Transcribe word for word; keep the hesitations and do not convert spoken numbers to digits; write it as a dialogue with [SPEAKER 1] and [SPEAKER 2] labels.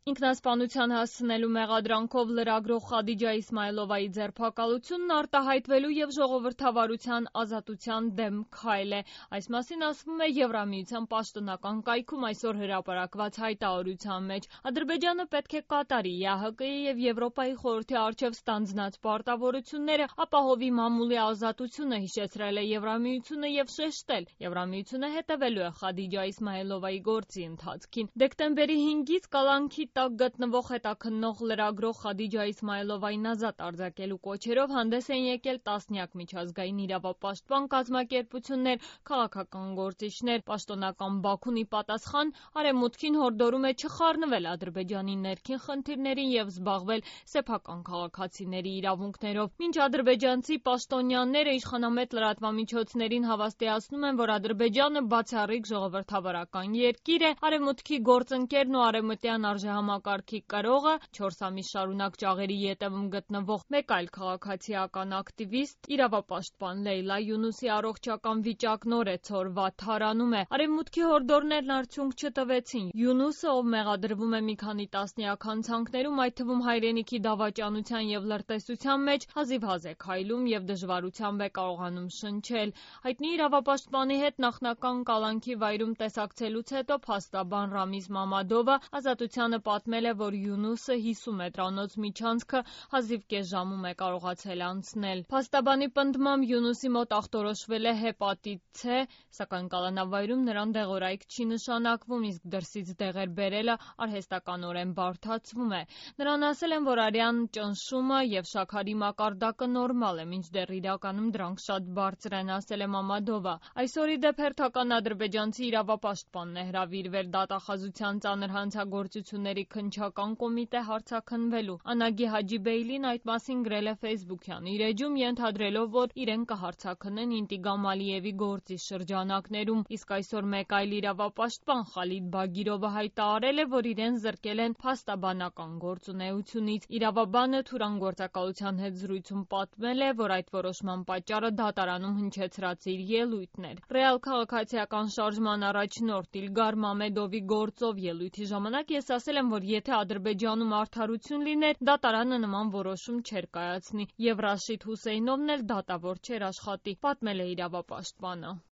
[SPEAKER 1] Ինքնասպանության հասցնելու մեղադրանքով լրագրող Խադիջա Իսմայլովայի ձերբակալությունն արտահայտվելու և ժողովրդավարության ազատության դեմ քայլ է։ Այս մասին ասվում է Եվրամիության պաշտոնական կայքում այսօր հրապարակված հայտարարության մեջ։ Ադրբեջանը պետք է կատարի ԵԱՀԿ-ի և Եվրոպայի խորհրդի առջև ստանձնած պարտավորությունները, ապահովի մամուլի ազատությունը, հիշեցրել է Եվրամիությունը և շեշտել. Եվրամիությունը հետևելու է Խադիջա Իսմայլովայի գործի ընթացքին։ Դեկտեմբերի հինգից կալանքի տակ գտնվող հետաքննող լրագրող Խադիջա Իսմայլովային ազատ արձակելու կոչերով հանդես էին եկել տասնյակ միջազգային իրավապաշտպան կազմակերպություններ, քաղաքական գործիչներ։ Պաշտոնական Բաքուն ի պատասխան Արևմուտքին հորդորում է չխառնվել Ադրբեջանի ներքին խնդիրներին և զբաղվել սեփական քաղաքացիների իրավունքներով։ Մինչ ադրբեջանցի պաշտոնյաները իշխանամետ լրատվամիջոցներին հավաստիացնում են, որ Ադրբեջանը բացառիկ ժողովրդավարական երկիր է, Արևմուտքի գործընկերն ու արևմտյան արժեհամակարգի կրողը, չորս ամիս շարունակ ճաղերի ետևում գտնվող մեկ այլ քաղաքացիական ակտիվիստ, իրավապաշտպան Լեյլա Յունուսի առողջական վիճակն օրեցօր վատթարանում է։ Արևմուտքի հորդորներն արդյունք չտվեցին։ Յունուսը, ով մեղադրվում է մի քանի տասնյակ հանցանքներում, այդ թվում հայրենիքի դավաճանության և լրտեսության մեջ, հազիվհազ է քայլում և դժվարությամբ է կարողանում շնչել։ Հայտնի իրավապաշտպանի հետ նախնական կալանքի վայրում տեսակցելուց հետո փաստաբան Ռամիզ Մամադովը Ազատությանը պատմել է, որ Յունուսը հիսուն մետրանոց միջանցքը հազիվ կես ժամում է կարողացել անցնել։ Փաստաբանի պնդմամբ Յունուսի մոտ ախտորոշվել է հեպատիտ C, սակայն կալանավայրում նրան դեղորայք չի նշանակվում, իսկ դրսից դեղեր բերելը արհեստականորեն բարդացվում է։ Նրան ասել են, որ արյան ճնշումը և շաքարի մակարդակը նորմալ է, մինչդեռ իրականում դրանք շատ բարձր են, ասել է Մամադովը։ Այսօր ի դեպ հերթական ադրբեջանցի իրավապաշտպանն է հրավիրվել դատախազության ծանր հանցագործությունների քննչական կոմիտե հարցաքննվելու։ Անագի Հաջիբեյլին այդ մասին գրել է Facebook-յան իր էջում, ենթադրելով, որ իրեն կհարցաքննեն Ինտիգամ Ալիևի գործի շրջանակներում, իսկ այսօր մեկ այլ իրավապաշտպան Խալիդ Բագիրովը հայտարարել է, որ իրեն զրկել են փաստաբանական գործունեությունից։ Իրավաբանը Թուրան գործակալության հետ զրույցում պատմել է, որ այդ որոշման պատճառը դատարանում հնչեցրած իր ելույթն էր։ Ռեալ քաղաքացիական շարժման առաջնորդ Իլգար Մամեդովի գործով ելույթի ժամանակ ես ասել եմ, որ եթե Ադրբեջանում արդարություն լիներ, դատարանը նման որոշում չէր կայացնի, և Ռաշիդ Հուսեյնովն էլ դատավոր չէր աշխատի, պատմել է իրավապաշտպանը։